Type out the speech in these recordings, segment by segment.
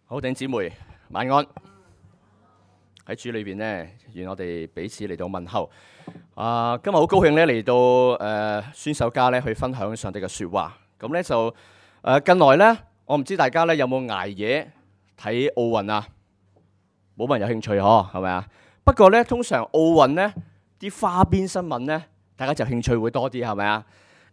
好，弟兄姊妹晚安。喺主裏邊呢，願我哋彼此嚟到問候。今日好高興咧嚟到宣守家咧去分享上帝嘅說話。咁咧就近來咧，我唔知大家咧有冇捱夜睇奧運啊？冇乜人有興趣嗬，係咪啊？不過咧，通常奧運咧啲花邊新聞咧，大家就興趣會多啲，係咪啊？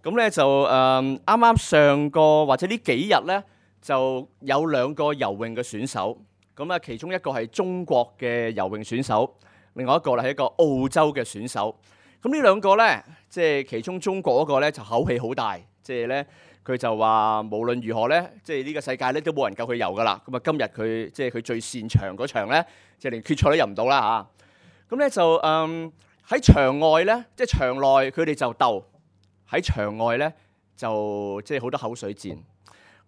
咁咧就啱啱上個或者呢幾日咧，就有2個游泳嘅選手。咁啊，其中一個係中國嘅游泳選手，另外一個咧係一個澳洲嘅選手。咁呢2個咧，即係其中中國嗰個咧就口氣好大，即係咧佢就話無論如何咧，即係呢個世界咧都冇人夠佢游噶啦。咁啊，今日佢即係佢最擅長嗰場咧，即係連決賽都入唔到啦嚇。咁咧就喺場外咧，即係場內佢哋就鬥，喺場外咧就即係好多口水戰。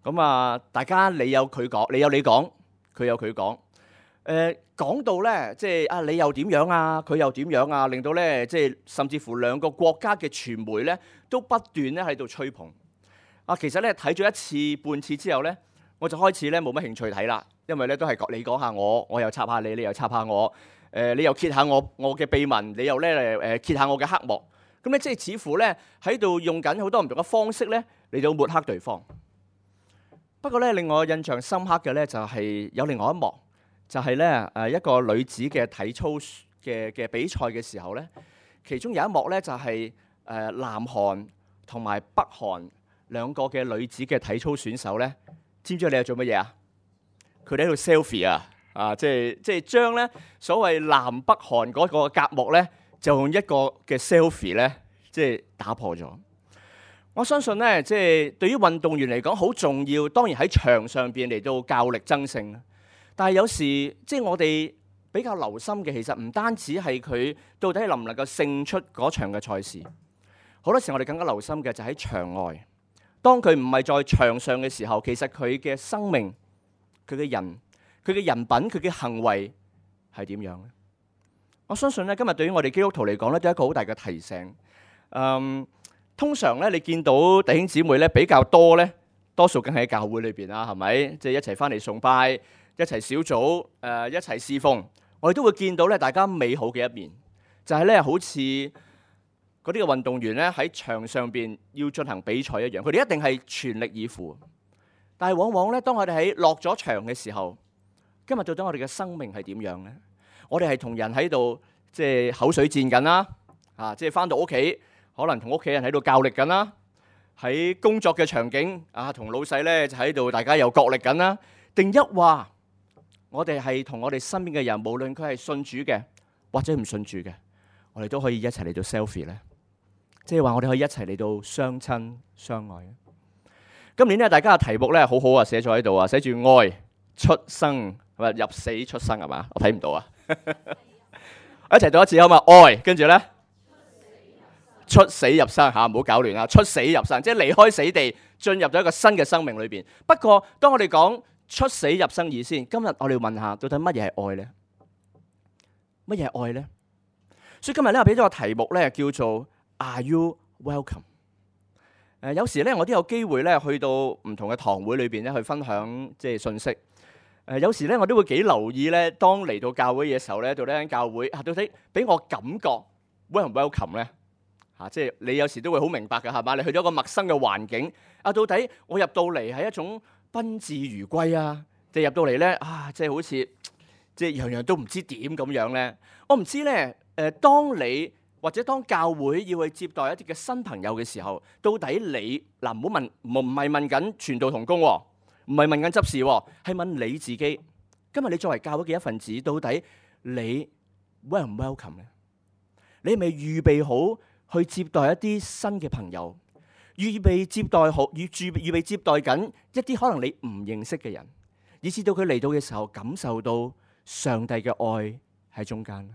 咁啊，大家你有佢講，你有你講。佢有佢講，講到咧，即係你又點樣啊？佢又點樣啊？令到咧，即係甚至乎2個國家嘅傳媒咧，都不斷咧喺度吹捧。其實咧睇咗一次半次之後咧，我就開始咧冇乜興趣睇啦，因為咧都係你講下我，我又插下你，你又插下我，你又揭下我嘅秘聞，你又咧揭下我嘅黑幕。咁咧即係似乎咧喺度用緊好多唔同嘅方式咧嚟到抹黑對方。不過咧，令我印象深刻嘅咧就係有另外一幕，就係咧一個女子嘅體操嘅比賽嘅時候咧，其中有一幕咧就係南韓同埋北韓2個嘅女子嘅體操選手咧，知唔知你係做乜嘢啊？佢哋喺度 selfie 啊！即係將咧所謂南北韓嗰個隔膜咧，就用一個嘅 selfie 咧，即係打破咗。我相信咧，即係對於運動員嚟講好重要。當然喺場上邊嚟到較力爭勝，但係有時即係我哋比較留心嘅，其實唔單止係佢到底能唔能夠勝出嗰場嘅賽事。好多時我哋更加留心嘅就喺場外。當佢唔係在場上嘅時候，其實佢嘅生命、佢嘅人、佢嘅人品、佢嘅行為係點樣咧？我相信咧，今日對於我哋基督徒嚟講咧，都係一個好大嘅提醒。通常咧，你見到弟兄姊妹咧比較多咧，多數梗係喺教會裏邊啦，係咪？即係一齊翻嚟崇拜，一齊小組，一齊侍奉，我哋都會見到咧大家美好嘅一面，就係咧好似嗰啲嘅運動員咧喺場上邊要進行比賽一樣，佢哋一定係全力以赴。但係往往咧，當我哋喺落咗場嘅時候，今日到底我哋嘅生命係點樣咧？我哋係同人喺度即係口水戰緊啦，即係翻到屋企。可能同屋企人喺度較力緊啦，喺工作嘅場景同老細咧就喺度大家又角力緊啦。定一話我哋係同我哋身邊嘅人，無論佢係信主嘅或者唔信主嘅，我哋都可以一齊嚟到 selfie 咧，即係話我哋可以一齊嚟到相親相愛。今年咧大家嘅題目咧好好啊，寫咗喺度啊，寫住愛出生係咪入死出生係嘛？我睇唔到啊，一齊讀一次好嘛？愛跟住咧。出死入生嚇，唔好搞亂啊！出死入生，即係離開死地，進入咗一個新嘅生命裏邊。不過，當我哋講出死入生以先，今日我哋要問下，到底乜嘢係愛咧？乜嘢係愛咧？所以今日咧，我俾咗個題目咧，叫做 Are you welcome？ 有時咧，我都有機會咧，去到唔同嘅堂會裏邊咧，去分享即係信息。有時咧，我都會幾留意咧，當嚟到教會嘅時候咧，到底間教會到底俾我感覺 welcome 唔 welcome 咧？即係你有時都會好明白嘅係嘛？你去咗一個陌生嘅環境，到底我入到嚟係一種賓至如歸啊，定入到嚟咧即係好似即係樣樣都唔知點咁樣咧？我唔知咧。當你或者當教會要去接待一啲嘅新朋友嘅時候，到底你唔好問，唔係問緊傳道同工，唔係問緊執事，係問你自己。今日你作為教會嘅一份子，到底你 welcome 唔 welcome 咧？你係咪預備好去接待一啲新嘅朋友，預備接待緊一啲可能你唔認識嘅人，以至到佢嚟到嘅時候感受到上帝嘅愛喺中間。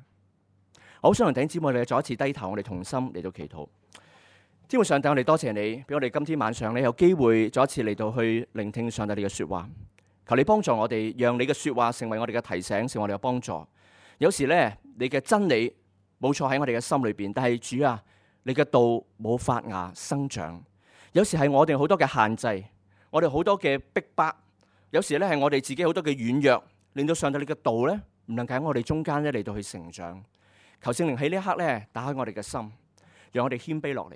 我好想同弟兄姊妹哋再一次低頭，我哋同心嚟到祈禱。天父上帝，我哋多謝你，俾我哋今天晚上咧有機會再一次嚟到去聆聽上帝你嘅說話。求你幫助我哋，讓你嘅說話成為我哋嘅提醒，成為我哋嘅幫助。有時咧，你嘅真理冇錯喺我哋嘅心裏邊，但係主啊，你嘅道冇發芽生長，有時係我哋好多嘅限制，我哋好多嘅逼迫，有時咧係我哋自己好多嘅軟弱，令到上帝你嘅道咧唔能夠喺我哋中間咧嚟到去成長。求聖靈喺呢一刻咧打開我哋嘅心，讓我哋謙卑落嚟，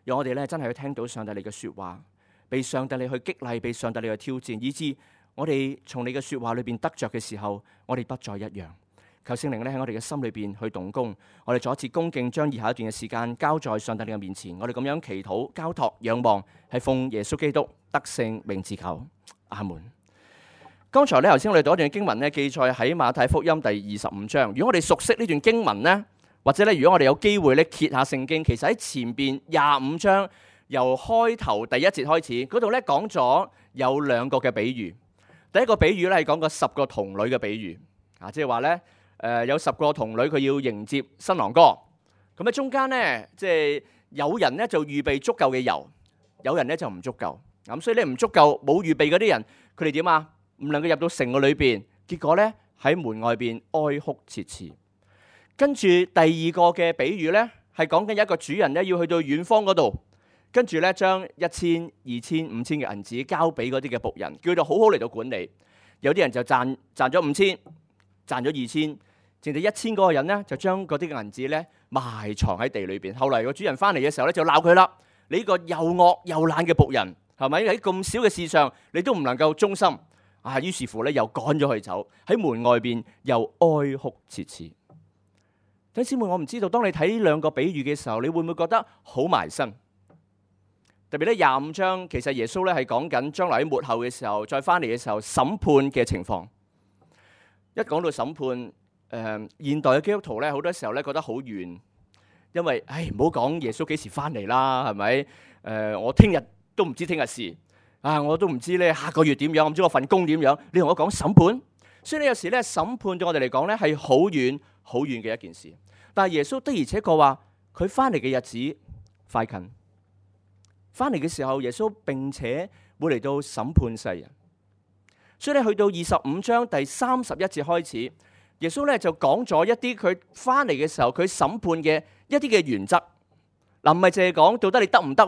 讓我哋咧真係去聽到上帝你嘅說話，被上帝你去激勵，被上帝你去挑戰，以致我哋從你嘅說話裏邊得着嘅時候，我哋不再一樣。求聖靈咧喺我哋嘅心裏邊去動工，我哋再一次恭敬將以下一段嘅時間交在上帝你嘅面前。我哋咁樣祈禱、交託、仰望，係奉耶穌基督得勝名字求，阿門。剛才咧頭先我哋讀一段經文咧，記載喺馬太福音第25章。如果我哋熟悉呢段經文咧，或者咧如果我哋有機會咧揭下聖經，其實喺前邊25章由開頭第一節開始，嗰度咧講咗有2個嘅比喻。第一個比喻咧係講個10個童女嘅比喻，即係話咧有10個童女佢要迎接新郎哥，咁喺中間咧即係有人咧就預備足夠嘅油，有人咧就唔足夠，咁所以咧唔足夠冇預備嗰啲人，佢哋點啊？唔能夠入到城嘅裏邊，結果咧喺門外邊哀哭切齒。跟住第2個嘅比喻咧係講緊一個主人咧要去到遠方嗰度。跟住咧，將1000、2000、5000嘅銀紙交俾嗰啲嘅僕人，叫佢好好嚟到管理。有啲人就賺咗5000，賺咗2000，剩低1000嗰個人咧，就將嗰啲嘅銀紙咧埋藏喺地裏邊。後嚟個主人翻嚟嘅時候咧，就鬧佢啦：你呢個又惡又懶嘅僕人，係咪喺咁少嘅事上，你都唔能夠忠心？於是乎咧，又趕咗佢走，喺門外邊又哀哭切齒。弟兄姊妹，我唔知道，當你睇呢2個比喻嘅時候，你會唔會覺得好埋身？特別咧25章，其實耶穌咧係講緊將來喺末後嘅時候，再翻嚟嘅時候審判嘅情況。一講到審判，現代嘅基督徒咧好多時候咧覺得好遠，因為唔好講耶穌幾時翻嚟啦，係咪？我聽日都唔知聽日事，我都唔知咧下個月點樣，我唔知我份工點樣。你同我講審判，所以咧有時咧審判對我哋嚟講咧係好遠好遠嘅一件事。但係耶穌的而且確話佢翻嚟嘅日子快近。翻嚟嘅時候，耶穌並且會嚟到審判世人，所以咧去到25章第31節開始，耶穌咧就講咗一啲佢翻嚟嘅時候佢審判嘅一啲嘅原則。嗱，唔係淨係講到底你得唔得，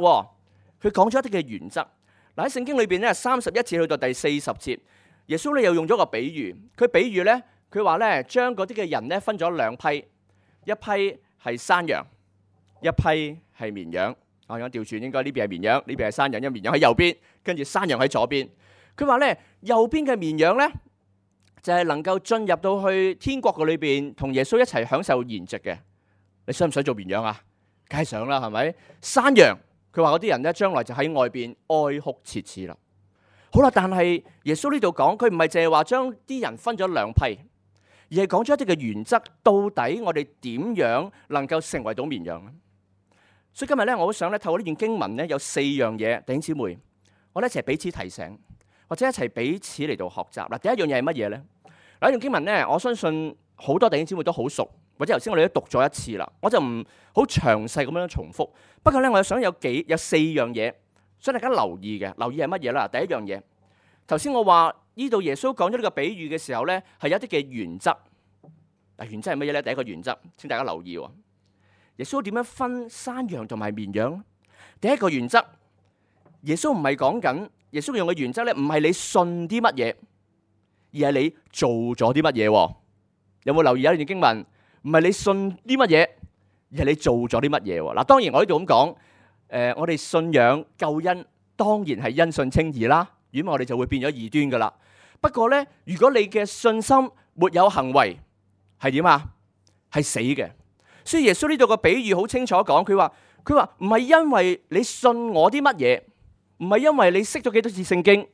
佢講咗一啲嘅原則。嗱，喺聖經裏邊咧31節去到第40節，耶穌咧又用咗個比喻。佢比喻咧，佢話咧將嗰啲嘅人咧分咗2批，一批係山羊，一批係綿羊。我調轉，應該呢邊係綿羊，呢邊係山羊，因為綿羊喺右邊，跟住山羊喺左邊。佢話咧，右邊嘅綿羊咧，就係能夠進入到去天國嘅裏邊，同耶穌一齊享受筵席嘅。你想唔想做綿羊啊？梗係想啦，係咪？山羊，佢話嗰啲人咧，將來就喺外邊哀哭切齒啦。好啦，但係耶穌呢度講，佢唔係淨係話將啲人分咗2批，而係講咗一啲嘅原則，到底我哋點樣能夠成為到綿羊咧？所以今日咧，我好想咧透過呢段經文咧，有4樣嘢，弟兄姊妹，我哋一齊彼此提醒，或者一齊彼此嚟到學習。嗱，第一樣嘢係乜嘢咧？嗱，呢段經文咧，我相信好多弟兄姊妹都好熟，或者頭先我哋都讀咗一次啦，我就唔好詳細咁樣重複。不過咧，我想有4樣嘢，想大家留意嘅。留意係乜嘢啦？第一樣嘢，頭先我話呢度耶穌講咗呢個比喻嘅時候咧，係有一啲嘅原則。嗱，原則係乜嘢咧？第一個原則，請大家留意喎。耶穌點樣分山羊同埋綿羊？第一個原則，耶穌唔係講緊，耶穌用嘅原則咧，唔係你信啲乜嘢，而係你做咗啲乜嘢。有冇留意有一段經文？唔係你信啲乜嘢，而係你做咗啲乜嘢。嗱，當然我呢度咁講，我哋信仰救恩當然係因信稱義啦，如果我哋就會變咗異端噶啦。不過咧，如果你嘅信心沒有行為，係點啊？係死嘅。所以耶穌呢度個比喻好清楚講，佢話唔係因為你信我啲乜嘢，唔係因為你識咗幾多次聖經，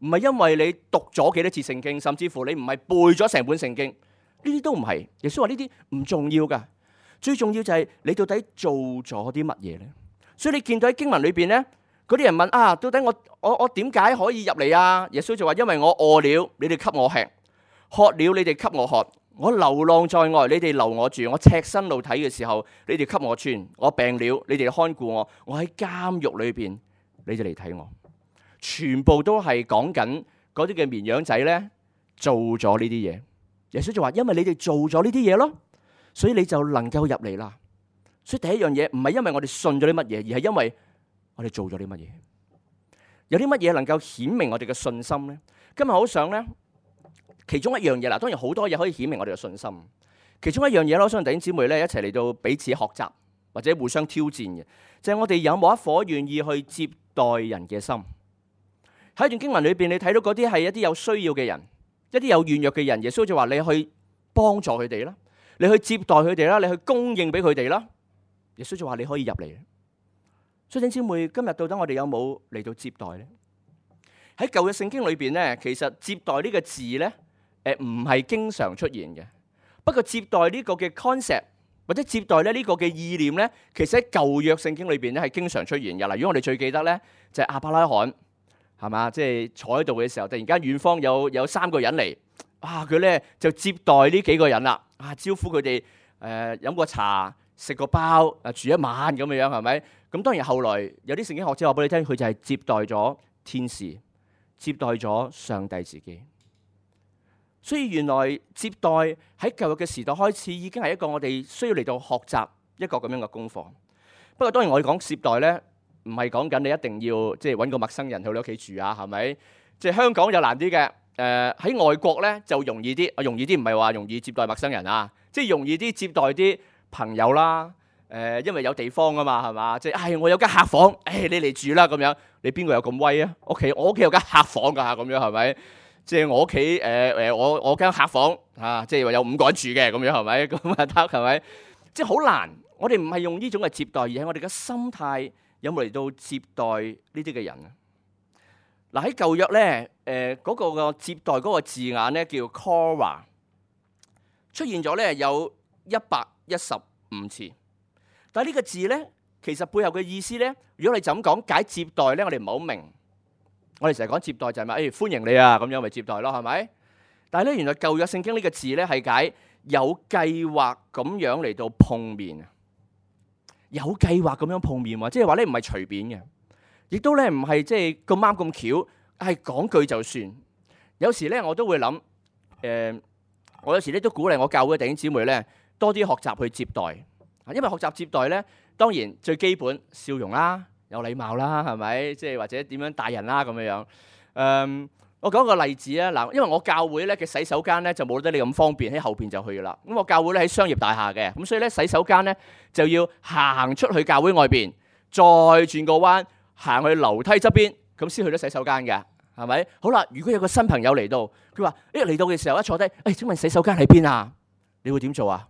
唔係因為你讀咗幾多次聖經，甚至乎你唔係背咗成本聖經，呢啲都唔係。耶穌話呢啲唔重要噶，最重要就係你到底做咗啲乜嘢咧？所以你見到喺經文裏邊咧，嗰啲人問啊，到底我點解可以入嚟啊？耶穌就話：因為我餓了，你哋給我吃；渴了，你哋給我喝。我流浪在外，你哋留我住；我赤身露體嘅時候，你哋給我穿；我病了，你哋看顧我；我喺監獄裏邊，你哋嚟睇我。全部都係講緊嗰啲嘅綿羊仔咧，做咗呢啲嘢。耶穌就話：因為你哋做咗呢啲嘢咯，所以你就能夠入嚟啦。所以第一樣嘢唔係因為我哋信咗啲乜嘢，而係因為我哋做咗啲乜嘢。有啲乜嘢能夠顯明我哋嘅信心咧？今日好想咧，其中一樣嘢啦，當然好多嘢可以顯明我哋嘅信心。其中一樣嘢咧，我想弟兄姊妹咧一齊嚟到彼此學習，或者互相挑戰嘅，就係我哋有冇一顆願意去接待人嘅心。喺一段經文裏邊，你睇到嗰啲係一啲有需要嘅人，一啲有軟弱嘅人，耶穌就話你去幫助佢哋啦，你去接待佢哋啦，你去供應俾佢哋啦。耶穌就話你可以入嚟。所以弟兄姊妹，今日到底我哋有冇嚟到接待咧？喺舊約聖經裏邊咧，其實接待呢個字咧，唔係經常出現嘅。不過接待呢個嘅 concept 或者接待咧呢個嘅意念咧，其實喺舊約聖經裏邊咧係經常出現嘅。例如我哋最記得咧就係亞伯拉罕，係嘛？即係坐喺度嘅時候，突然間遠方有3個人嚟，佢咧就接待呢幾個人啦，招呼佢哋飲個茶、食個包、住一晚咁樣樣，係咪？咁當然後來有啲聖經學者話俾你聽，佢就係接待咗天使，接待咗上帝自己。所以原來接待喺舊約嘅時代開始已經係一個我哋需要嚟到學習一個咁樣嘅功課。不過當然我哋講接待咧，唔係講緊你一定要即係揾個陌生人去你屋企住啊，係咪？即係香港就難啲嘅。喺外國咧就容易啲，容易啲唔係話容易接待陌生人啊，即係容易啲接待啲朋友啦。因為有地方啊嘛，係嘛？即係我有間客房，你嚟住啦咁樣。你邊個有咁威啊？我屋企有間客房㗎，咁樣係咪？即係我屋企我間客房即係話有5個人住嘅咁樣係咪？咁啊得係咪？即係好難。我哋唔係用呢種嘅接待，而係我哋嘅心態有冇嚟到接待呢啲嘅人啊？嗱喺舊約咧，嗰個個接待嗰個字眼咧叫 Cora， 出現咗咧有115次。但係呢個字咧，其實背後嘅意思咧，如果你就咁講解接待咧，我哋唔係好明。我哋成日講接待就係咪歡迎你啊咁樣咪接待咯，係咪？但係咧，原來舊約聖經呢個字咧係解有計劃咁樣嚟到碰面啊，有計劃咁樣碰面喎，即係話咧唔係隨便嘅，亦都咧唔係即係咁啱咁巧，係講句就算。有時咧我都會諗，我有時咧都鼓勵我教會嘅弟兄姊妹咧多啲學習去接待，因為學習接待咧當然最基本笑容啦。有禮貌啦，係咪？即係或者點樣帶人啦咁樣樣。我講個例子啊，嗱，因為我教會咧嘅洗手間咧就冇得你咁方便喺後邊就去噶啦。咁我教會咧喺商業大廈嘅，咁所以咧洗手間咧就要行出去教會外邊，再轉個彎行去樓梯側邊，咁先去到洗手間嘅，係咪？好啦，如果有個新朋友嚟到，佢話嚟到嘅時候一坐低，請問洗手間喺邊啊？你會點做啊？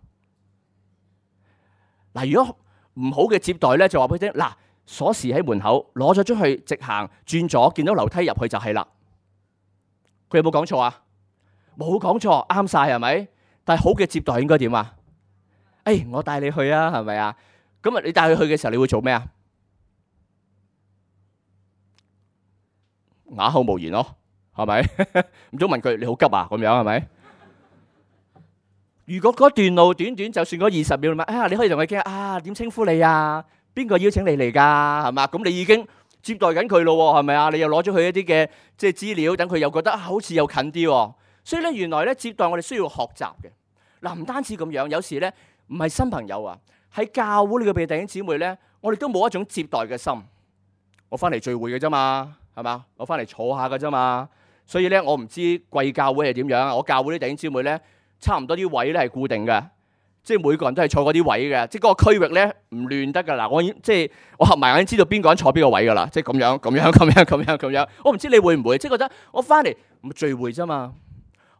嗱，如果唔好嘅接待咧，就話俾佢聽嗱。鎖匙喺門口，攞咗出去，直行轉左，見到樓梯入去就係啦。佢有冇講錯啊？冇講錯，啱晒係咪？但係好嘅接待應該點啊？我帶你去啊，係咪啊？咁啊，你帶佢去嘅時候，你會做咩啊？啞口無言咯，係咪？唔通問佢你好急啊？咁樣係咪？如果嗰段路短短，就算嗰20秒你可以同佢傾點稱呼你啊？邊個邀請你嚟㗎？係嘛？咁你已經接待緊佢咯，係咪啊？你又攞咗佢一啲嘅即係資料，等佢又覺得好似又近啲。所以咧，原來咧接待我哋需要學習嘅。嗱，唔單止咁樣，有時咧唔係新朋友啊，喺教會呢個弟兄姊妹咧，我哋都冇一種接待嘅心。我翻嚟聚會嘅啫嘛，係嘛？我翻嚟坐下嘅啫嘛。所以咧，我唔知貴教會係點樣。我教會啲弟兄姊妹咧，差唔多啲位咧係固定嘅。即係每個人都係坐嗰啲位嘅，即係嗰個區域咧唔亂得㗎啦。我合埋眼知道邊個人坐邊個位㗎啦。即係咁樣。我唔知你會唔會即係覺得我翻嚟唔聚會啫嘛？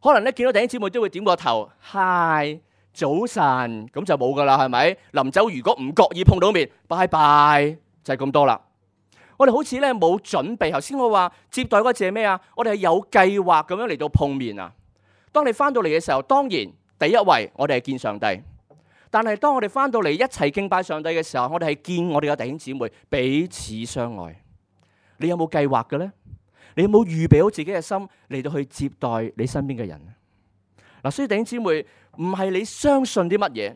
可能咧見到弟兄姊妹都會點個頭，嗨，早晨，咁就冇㗎啦，係咪？臨走如果唔覺意碰到面，拜拜，就係咁多啦。我哋好似咧冇準備。頭先我話接待嗰個字係咩啊？我哋係有計劃咁樣嚟到碰面啊。當你翻到嚟嘅時候，當然第一位我哋係見上帝。但係當我哋翻到嚟一齊敬拜上帝嘅時候，我哋係見我哋嘅弟兄姊妹彼此相愛。你有冇計劃嘅咧？你有冇預備好自己嘅心嚟到去接待你身邊嘅人？嗱，所以弟兄姊妹唔係你相信啲乜嘢，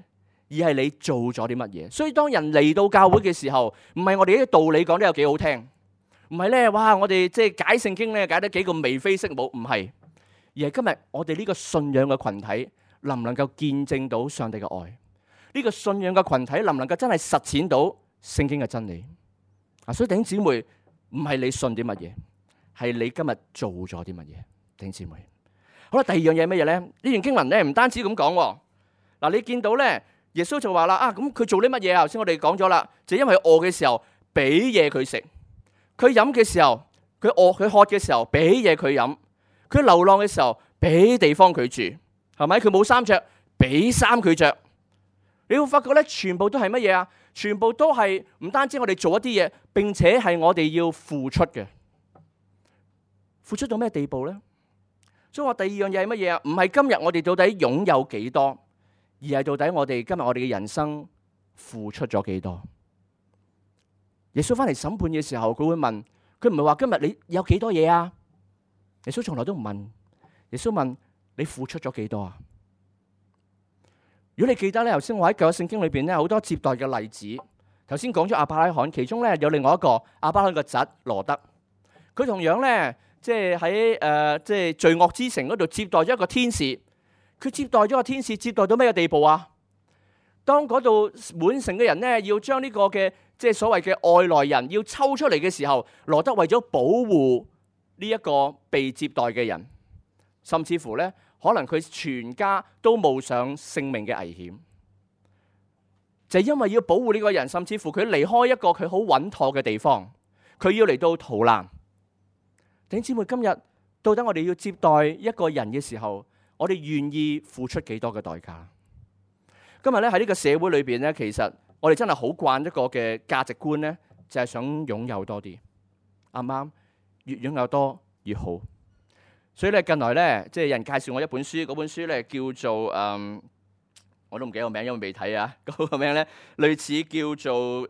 而係你做咗啲乜嘢。所以當人嚟到教會嘅時候，唔係我哋啲道理講得有幾好聽，唔係咧，哇！我哋即係解聖經咧解得幾個眉飛色舞，唔係，而係今日我哋呢個信仰嘅群體能唔能夠見證到上帝嘅愛？呢個信仰嘅群體能唔能夠真係實踐到聖經嘅真理？所以弟兄姊妹唔係你信啲乜嘢，係你今日做咗啲乜嘢。弟兄姊妹。好啦，第二樣嘢係乜嘢咧？呢段經文咧唔單止咁講，嗱，你見到咧，耶穌就話啦，咁佢做啲乜嘢啊？頭先我哋講咗啦，就因為佢餓嘅時候俾嘢佢食，佢飲嘅時候佢餓佢渴嘅時候俾嘢佢飲，佢流浪嘅時候俾地方佢住，係咪？佢冇衫着，俾衫佢着。你會發覺咧，全部都係乜嘢啊？全部都係唔單止我哋做一啲嘢，並且係我哋要付出嘅。付出到咩地步咧？所以話第二樣嘢係乜嘢啊？唔係今日我哋到底擁有幾多，而係到底我哋今日我哋嘅人生付出咗幾多。耶穌翻嚟審判嘅時候，佢會問，佢唔係話今日你有幾多嘢啊？耶穌從來都唔問，耶穌問你付出咗幾多啊？如果你記得咧，頭先我喺舊約聖經裏邊咧好多接待嘅例子，頭先講咗亞伯拉罕，其中咧有另外一個亞伯拉罕嘅侄羅德，佢同樣咧。即係喺即係罪惡之城嗰度接待咗一個天使，佢接待咗個天使，接待到咩嘅地步啊？當嗰度滿城嘅人咧要將呢個嘅即係所謂嘅外來人要抽出嚟嘅時候，羅德為咗保護呢一個被接待嘅人，甚至乎咧可能佢全家都冒上性命嘅危險，就係因為要保護呢個人，甚至乎佢離開一個佢好穩妥嘅地方，佢要嚟到逃難。弟兄姊妹，今日到底我哋要接待一個人嘅時候，我哋願意付出幾多嘅代價？今日咧喺呢個社會裏邊咧，其實我哋真係好慣一個嘅價值觀咧，就係想擁有多啲，啱唔啱？越擁有多越好。所以咧近來咧，即係有人介紹我一本書，嗰本書咧叫做我都唔記得個名，因為未睇啊。嗰個名咧類似叫做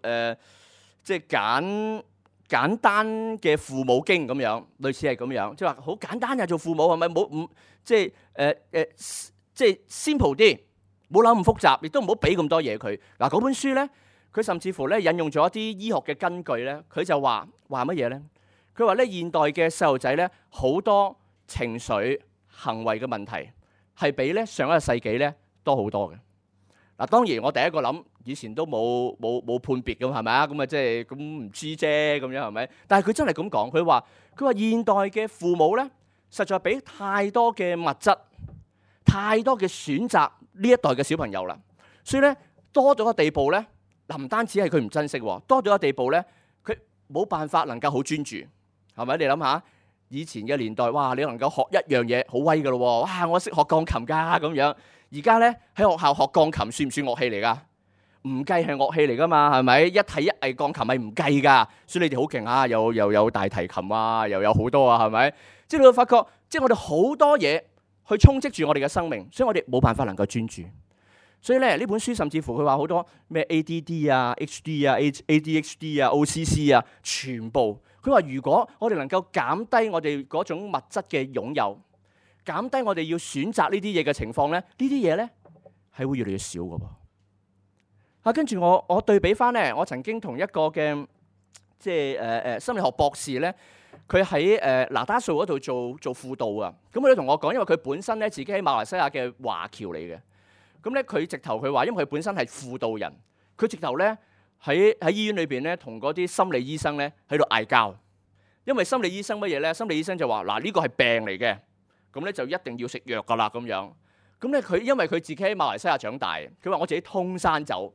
即係簡單嘅父母經咁樣，類似係咁樣，即係話好簡單呀，做父母係咪冇唔即係即係 simple 啲，冇諗咁複雜，亦都唔好俾咁多嘢佢。嗱，嗰本書咧，佢甚至乎咧引用咗一啲醫學嘅根據咧，佢就話乜嘢咧？佢話咧現代嘅細路仔咧好多情緒行為嘅問題係比咧上一個世紀咧多好多嘅。嗱，當然我第一個諗。以前都冇判別咁係咪啊？咁啊即係咁唔知啫咁樣係咪？但係佢真係咁講，佢話現代嘅父母咧，實在俾太多嘅物質、太多嘅選擇呢一代嘅小朋友啦。所以咧多咗個地步咧，嗱唔單止係佢唔珍惜，多咗個地步咧，佢冇辦法能夠好專注，係咪？你諗下以前嘅年代，哇！你能夠學一樣嘢好威噶咯，哇！我識學鋼琴㗎咁樣。而家咧喺學校學鋼琴算唔算樂器嚟㗎？唔計係樂器嚟噶嘛，係咪？一體一藝鋼琴係唔計噶，所以你哋好勁啊！又有大提琴啊，又有好多啊，係咪？即係你會發覺，即係我哋好多嘢去充斥住我哋嘅生命，所以我哋冇辦法能夠專注。所以咧呢本書甚至乎佢話好多咩 ADD 啊、HD 啊、ADHD 啊、OCC 啊，全部佢話如果我哋能夠減低我哋嗰種物質嘅擁有，減低我哋要選擇呢啲嘢嘅情況咧，呢啲嘢咧係會越嚟越少噶噃。跟住我對比翻咧，我曾經同一個嘅即係心理學博士咧，佢喺那打素嗰度做輔導啊。咁佢都同我講，因為佢本身咧自己喺馬來西亞嘅華僑嚟嘅。咁咧佢直頭佢話，因為佢本身係輔導人，佢直頭咧喺醫院裏邊咧同嗰啲心理醫生咧喺度嗌交。因為心理醫生乜嘢咧？心理醫生就話嗱，呢個係病嚟嘅，咁咧就一定要食藥噶啦咁樣。咁咧佢因為佢自己喺馬來西亞長大，佢話我自己通山走。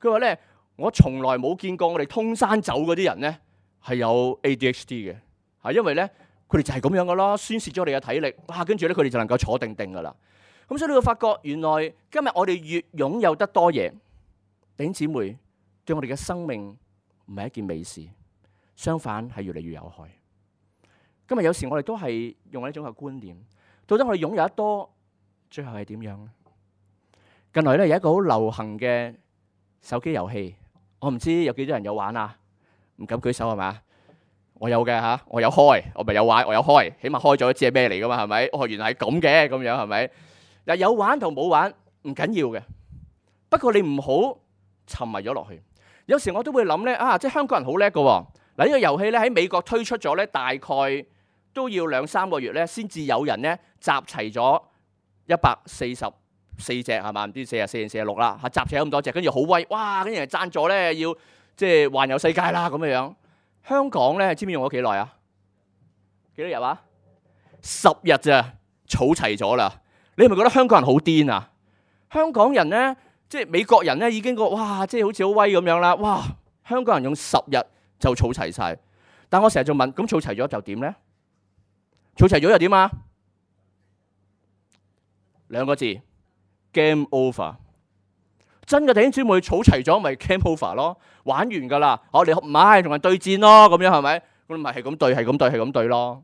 佢話咧，我從來冇見過我哋通山走嗰啲人咧係有 ADHD 嘅，因為咧佢哋就係咁樣噶咯，宣泄咗我哋嘅體力，哇！跟住咧佢哋就能夠坐定定噶啦。咁所以你會發覺，原來今日我哋越擁有得多嘢，弟兄姊妹對我哋嘅生命唔係一件美事，相反係越嚟越有害。今日有時我哋都係用一種嘅觀念，到底我哋擁有得多，最後係點樣咧？近來咧有一個好流行嘅手機遊戲，我唔知有幾多人有玩啊？唔敢舉手係嘛？我有嘅嚇，我有開，我咪有玩，我有開，起碼開咗知係咩嚟噶嘛？係咪？哦，原來係咁嘅，咁樣係咪？嗱，有玩同冇玩唔緊要嘅，不過你唔好沉迷咗落去。有時我都會諗咧，即係香港人好叻噶喎。嗱，呢個遊戲咧喺美國推出咗咧，大概都要2-3個月咧，先至有人咧集齊咗144隻係嘛？唔知44定46啦嚇，集齊咗咁多隻，跟住好威，哇！跟住人贊助咧，要即係環遊世界啦咁樣樣。香港咧，知唔知用咗幾耐啊？幾多日啊10日咋，儲齊咗啦。你係咪覺得香港人好癲啊？香港人咧，即係美國人咧，已經覺哇，即係好似好威咁樣啦。哇，香港人用10日就儲齊晒。但我成日就問，咁儲齊咗就點咧？儲齊咗又點啊？2個字 ，game over。真嘅弟兄姊妹，儲齊咗咪 game over 咯，玩完噶啦。我哋唔係同人對戰咯，咁樣係咪？咁咪係咁對，係咁對，係咁對咯。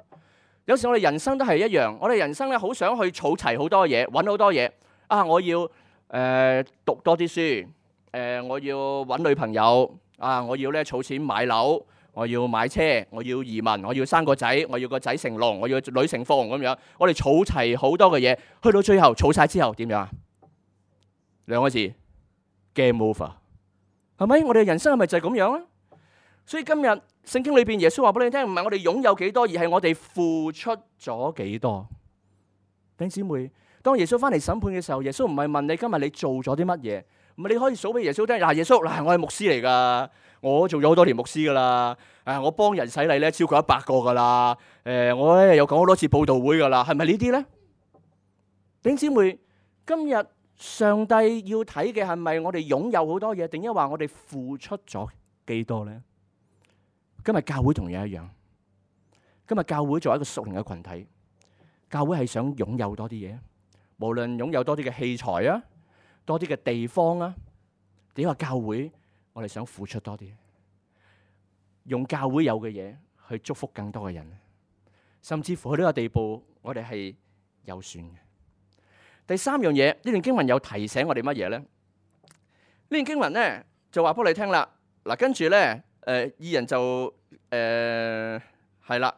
有時我哋人生都係一樣，我哋人生咧好想去儲齊好多嘢，揾好多嘢。啊，我要讀多啲書，我要揾女朋友，啊，我要咧儲錢買樓，我要買車，我要移民，我要生個仔，我要個仔成龍，我要女成鳳咁樣。我哋儲齊好多嘅嘢，去到最後儲晒之後點樣啊？2個字 game over， 係咪？我哋人生係咪就係咁樣啊？所以今日聖經裏邊耶穌話俾你聽，唔係我哋擁有幾多，而係我哋付出咗幾多。弟兄姊妹，當耶穌翻嚟審判嘅時候，耶穌唔係問你今日你做咗啲乜嘢，唔係你可以數俾耶穌聽。嗱，耶穌，嗱，我係牧師嚟噶，我做咗好多年牧師噶啦，我幫人洗禮咧超過100個噶啦，我咧又講好多次佈道會噶啦，係咪呢啲咧？弟兄姊妹，今日上帝要睇嘅係咪我哋擁有好多嘢，定係話我哋付出咗幾多咧？今日教會同樣一樣，今日教會作為一個屬靈嘅群體，教會係想擁有多啲嘢，無論擁有多啲嘅器材啊，多啲嘅地方啊，點話教會我哋想付出多啲，用教會有嘅嘢去祝福更多嘅人，甚至乎去呢個地步，我哋係有算嘅。第三樣嘢，呢段經文有提醒我哋乜嘢咧？呢段經文咧就話俾你聽啦，嗱，跟住咧。義人就係啦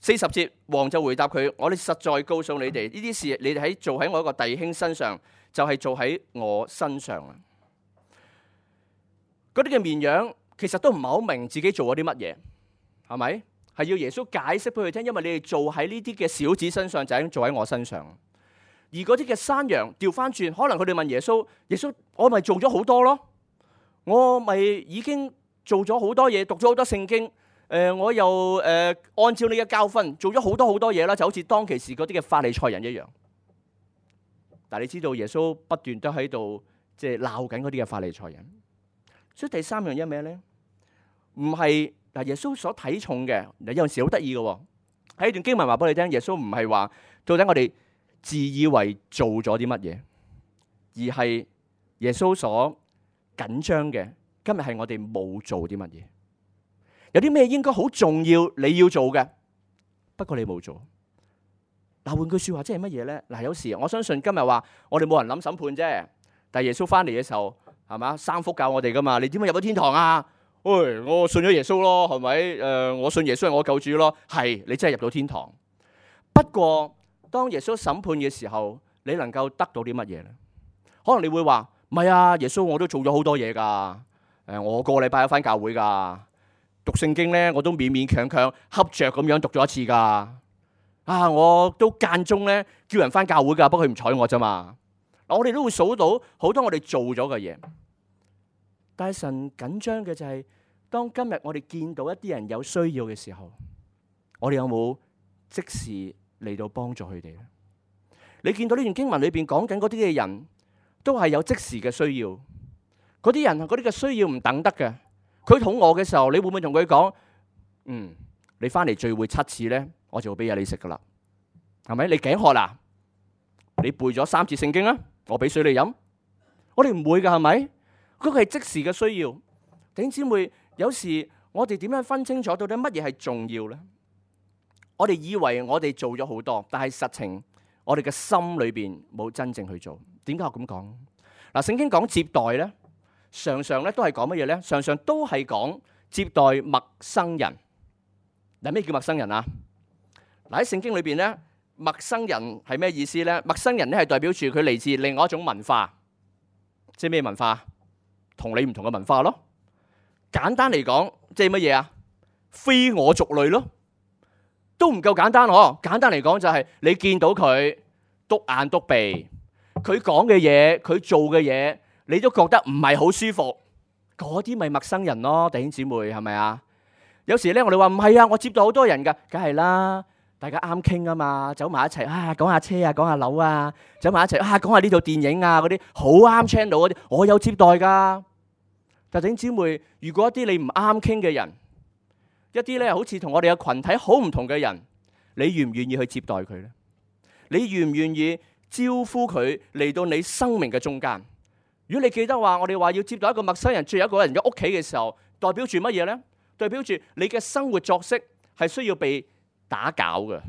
，40節，王就回答佢：我哋實在告訴你哋，呢啲事你哋喺做喺我一個弟兄身上，就係做喺我身上啊！嗰啲嘅綿羊其實都唔係好明自己做咗啲乜嘢，係咪？係要耶穌解釋俾佢聽，因為你哋做喺呢啲嘅小子身上，就係做喺我身上。而嗰啲嘅山羊調翻轉，可能佢哋問耶穌：耶穌，我咪做咗好多咯，我咪已經做咗好多嘢，讀咗好多聖經，我又按照你嘅教訓做咗好多嘢啦，就好似當其時嗰啲嘅法利賽人一樣。但係你知道耶穌不斷都喺度即係鬧緊嗰啲嘅法利賽人。所以第三樣嘢咩咧？唔係嗱，耶穌所睇重嘅，有陣時好得意嘅喎。喺段經文話俾你聽，耶穌唔係話到底我哋自以為做咗啲乜嘢，而係耶穌所緊張嘅。今日係我哋冇做啲乜嘢，有啲咩應該好重要你要做嘅，不過你冇做。嗱，換句說話即係乜嘢咧？嗱，有時我相信今日話我哋冇人諗審判啫，但係耶穌翻嚟嘅時候，係嘛，3福教我哋噶嘛？你點樣入到天堂啊？喂，我信咗耶穌咯，係咪？我信耶穌係我救主咯，係你真係入到天堂。不過當耶穌審判嘅時候，你能夠得到啲乜嘢咧？可能你會話唔係啊，耶穌我都做咗好多嘢噶。我個禮拜有返教會噶，讀聖經咧我都勉勉強強恰着咁樣讀咗一次噶。我都間中咧叫人返教會噶，不過佢唔睬我咋嘛。我哋都會數到好多我哋做咗嘅嘢，但係神緊張嘅就係，當今日我哋見到一啲人有需要嘅時候，我哋有冇即時嚟到幫助佢哋咧？你見到呢段經文裏邊講緊嗰啲嘅人，都係有即時嘅需要。嗰啲人嗰啲嘅需要唔等得嘅，佢肚餓嘅時候，你會唔會同佢講？你翻嚟聚會7次咧，我就會俾嘢你食噶啦，係咪？你頸渴啦，你背咗3次聖經啊，我俾水你飲。我哋唔會噶，係咪？嗰個係即時嘅需要。弟兄姊妹，有時我哋點樣分清楚到底乜嘢係重要咧？我哋以為我哋做咗好多，但係實情我哋嘅心裏邊冇真正去做。點解我咁講？嗱，聖經講接待咧。常常咧都係講乜嘢咧？常常都係講接待陌生人。嗱，咩叫陌生人啊？嗱，喺聖經裏邊咧，陌生人係咩意思咧？陌生人咧係代表住佢嚟自另外一種文化，即係咩文化？同你唔同嘅文化咯。簡單嚟講，即係乜嘢啊？非我族類咯，都唔夠簡單嗬。簡單嚟講就係你見到佢篤眼篤鼻，佢講嘅嘢，佢做嘅嘢。你都覺得唔係好舒服，嗰啲咪陌生人咯，弟兄姊妹係咪啊？有時咧我哋話唔係啊，我接待好多人噶，梗係啦。大家啱傾啊嘛，走埋一齊啊，講下車啊，講下樓啊，走埋一齊啊，講下呢套電影啊，嗰啲好啱 channel 嗰啲，我有接待噶。但弟兄姊妹，如果一啲你唔啱傾嘅人，一啲咧好似同我哋嘅群體好唔同嘅人，你願唔願意去接待佢呢？你願唔願意招呼佢嚟到你生命嘅中間？如果你記得話，我哋話要接待一個陌生人住一個人嘅屋企嘅時候，代表住乜嘢呢？代表住你嘅生活作息係需要被打攪嘅，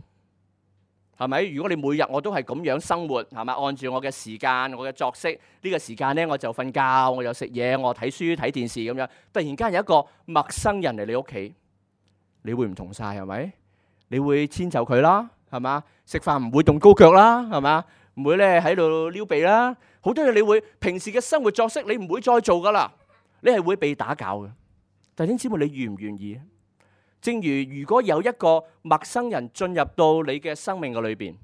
係咪？如果你每日我都係咁樣生活，係咪？按照我嘅時間、我嘅作息，呢個時間呢，我就瞓覺，我又食嘢，我睇書、睇電視咁樣。突然間有一個陌生人嚟你屋企，你會唔同晒，係咪？你會遷就佢啦，係嘛？食飯唔會動高腳啦，係嘛？唔會咧喺度撩鼻啦。好多嘢你會平時嘅生活作息你唔會再做噶啦，你係會被打攪嘅。弟兄姊妹，你願唔願意？正如果有一個陌生人進入到你嘅生命嘅裏邊，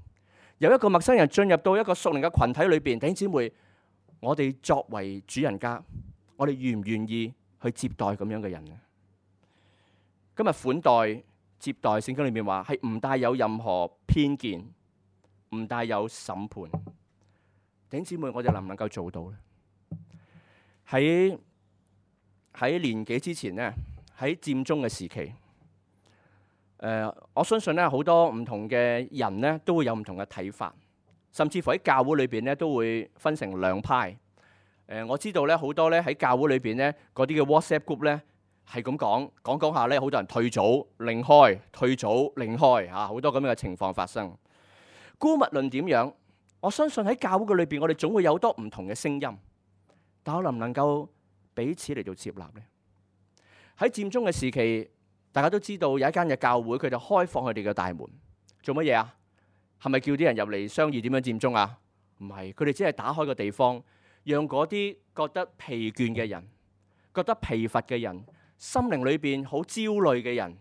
有一個陌生人進入到一個屬靈嘅群體裏邊，弟兄姊妹，我哋作為主人家，我哋願唔願意去接待咁樣嘅人呢？今日款待接待，聖經裏面話係唔帶有任何偏見，唔帶有審判。弟兄姊妹，我哋能唔能夠做到呢？喺年幾之前呢，喺佔中嘅時期。我相信咧，好多唔同嘅人咧，都會有唔同嘅睇法，甚至乎喺教會裏邊咧，都會分成兩派。我知道咧，好多咧喺教會裏邊咧，嗰啲嘅 WhatsApp group 咧係咁講下咧，好多人退組另開，退組另開嚇，好多咁樣嘅情況發生。姑勿論點樣，我相信喺教會嘅裏邊，我哋總會有好多唔同嘅聲音，但我能唔能夠彼此嚟到接納呢？喺佔中嘅時期，大家都知道有一間嘅教會，佢就開放佢哋嘅大門，做乜嘢啊？係咪叫啲人入嚟商議點樣佔中啊？唔係，佢哋只係打開個地方，讓嗰啲覺得疲倦嘅人、覺得疲乏嘅人、心靈裏邊好焦慮嘅人，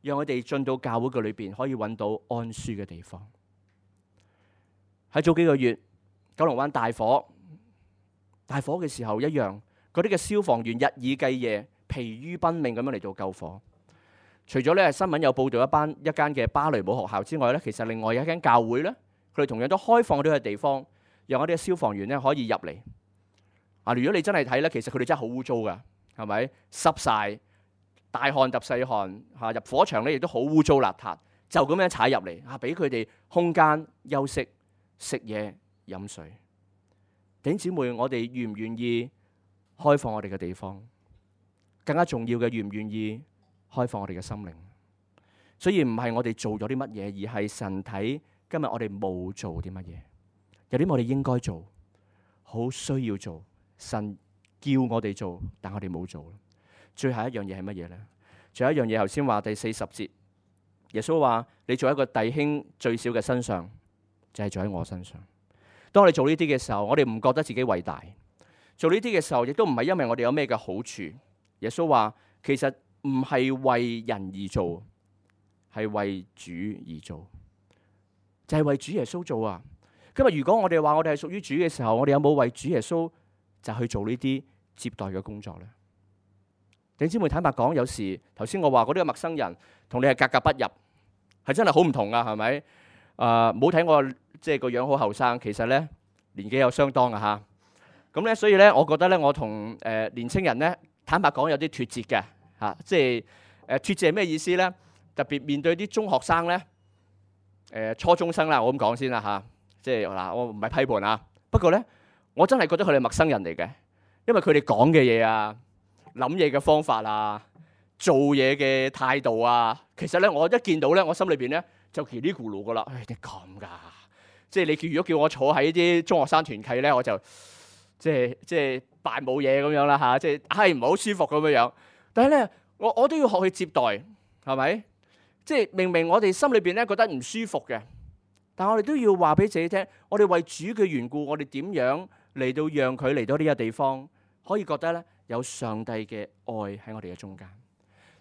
讓佢哋進到教會嘅裏邊，可以揾到安舒嘅地方。喺早幾個月，九龍灣大火嘅時候一樣，嗰啲嘅消防員日以繼夜、疲於奔命咁樣嚟到救火。除咗咧新聞有報道一間嘅芭蕾舞學校之外咧，其實另外有一間教會咧，佢哋同樣都開放咗個地方，讓我哋嘅消防員咧可以入嚟。如果你真係睇咧，其實佢哋真係好污糟噶，係咪？濕晒，大汗揼細汗嚇，入火場咧亦都好污糟邋遢，就咁樣踩入嚟嚇，俾佢哋空間休息、食嘢、飲水。弟兄姊妹，我哋願唔願意開放我哋嘅地方？更加重要嘅，願唔願意開放我哋嘅心靈？所以唔係我哋做咗啲乜嘢，而係神睇今日我哋冇做啲乜嘢。有啲我哋應該做，好需要做，神叫我哋做，但我哋冇做。最後一樣嘢係乜嘢呢？最後一樣嘢，頭先話第40節，耶穌話：你做一個弟兄最小嘅身上，就係做喺我身上。當我哋做呢啲嘅時候，我哋唔覺得自己偉大。做呢啲嘅時候，亦都唔係因為我哋有咩嘅好處。耶穌話：其實唔係為人而做，係為主而做，就係為主耶穌做啊！今日如果我哋話我哋係屬於主嘅時候，我哋有冇為主耶穌就去做呢啲接待嘅工作呢？弟兄姊妹，坦白講，有時頭先我話嗰啲陌生人同你係格格不入，係真係好唔同啊，係咪？唔好睇我即係個樣好後生，其實咧年紀有相當啊嚇。咁咧，所以咧，我覺得咧，我同年青人咧，坦白講有啲脫節嘅嚇，即係脫節係咩意思咧？特別面對啲中學生咧，初中生啦，我咁講先啦嚇。即係嗱，我唔係批判啊，不過咧，我真係覺得佢哋陌生人嚟嘅，因為佢哋講嘅嘢啊、諗嘢嘅方法啊、做嘢嘅態度啊，其實咧，我一見到咧，我心裏邊咧就嘰哩咕嚕噶啦。你咁㗎？即係你如果叫我坐喺啲中學生團契咧，我就即係扮冇嘢咁樣啦嚇，即係唔係好舒服咁樣。但係咧，我都要學去接待，係咪？即係明明我哋心裏邊咧覺得唔舒服嘅。但我哋都要話俾自己聽，我哋為主嘅緣故，我哋點樣嚟到讓佢嚟到呢個地方，可以覺得咧有上帝嘅愛喺我哋嘅中間。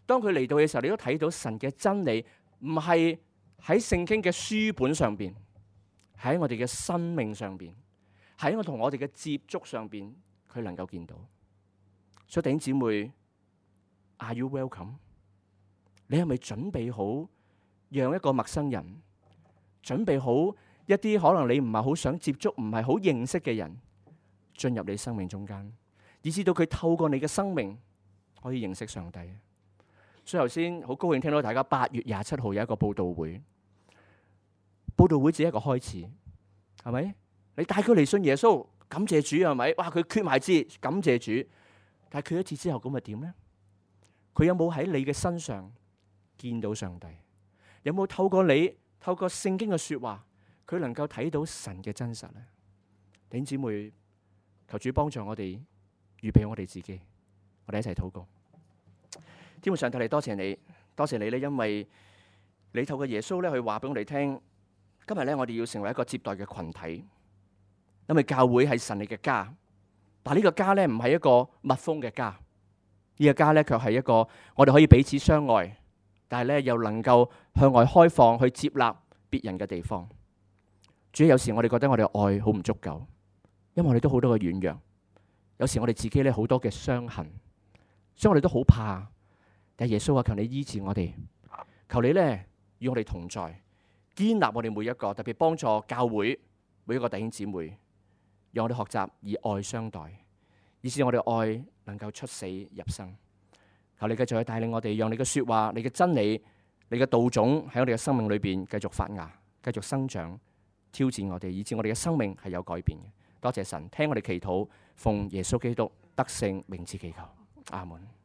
當佢嚟到嘅時候，你都睇到神嘅真理，唔係喺聖經嘅書本上邊，喺我哋嘅生命上邊，喺我同我哋嘅接觸上邊，佢能夠見到。所以弟兄姊妹 ，Are you welcome？ 你係咪準備好讓一個陌生人準備好一啲可能你唔係好想接觸、唔係好認識嘅人進入你生命中間，以至到佢透過你嘅生命可以認識上帝。所以頭先好高興聽到大家8月27號有一個佈道會，佈道會只係一個開始，係咪？你帶佢嚟信耶穌，感謝主，係咪？哇！佢決埋志，感謝主。但係決咗志之後，咁咪點呢？佢有冇喺你嘅身上見到上帝？有冇透過你透過聖經嘅說話，佢能夠睇到神嘅真實呢？弟兄姊妹，求主幫助我哋，預備我哋自己，我哋一齊禱告。天父上帝，嚟多謝你，多謝你咧，因為你透過耶穌咧去話俾我哋聽，今日咧我哋要成為一個接待嘅群體，因為教會係神你嘅家，但係呢個家咧唔係一個密封嘅家，呢個家咧卻係一個我哋可以彼此相愛，但係咧又能夠向外開放去接納別人嘅地方。主要有時我哋覺得我哋愛好唔足夠，因為我哋都好多嘅軟弱，有時我哋自己咧好多嘅傷痕，所以我哋都好怕。但係耶穌啊，求你醫治我哋，求你咧與我哋同在，堅立我哋每一個，特別幫助教會每一個弟兄姊妹，讓我哋學習以愛相待，以致我哋愛能夠出死入生。求你繼續去帶領我哋，讓你嘅說話、你嘅真理、你嘅道種喺我哋嘅生命裏邊繼續發芽、繼續生長，挑戰我哋，以致我哋嘅生命係有改變嘅。多謝神，聽我哋祈禱，奉耶穌基督得勝名字祈求，阿門。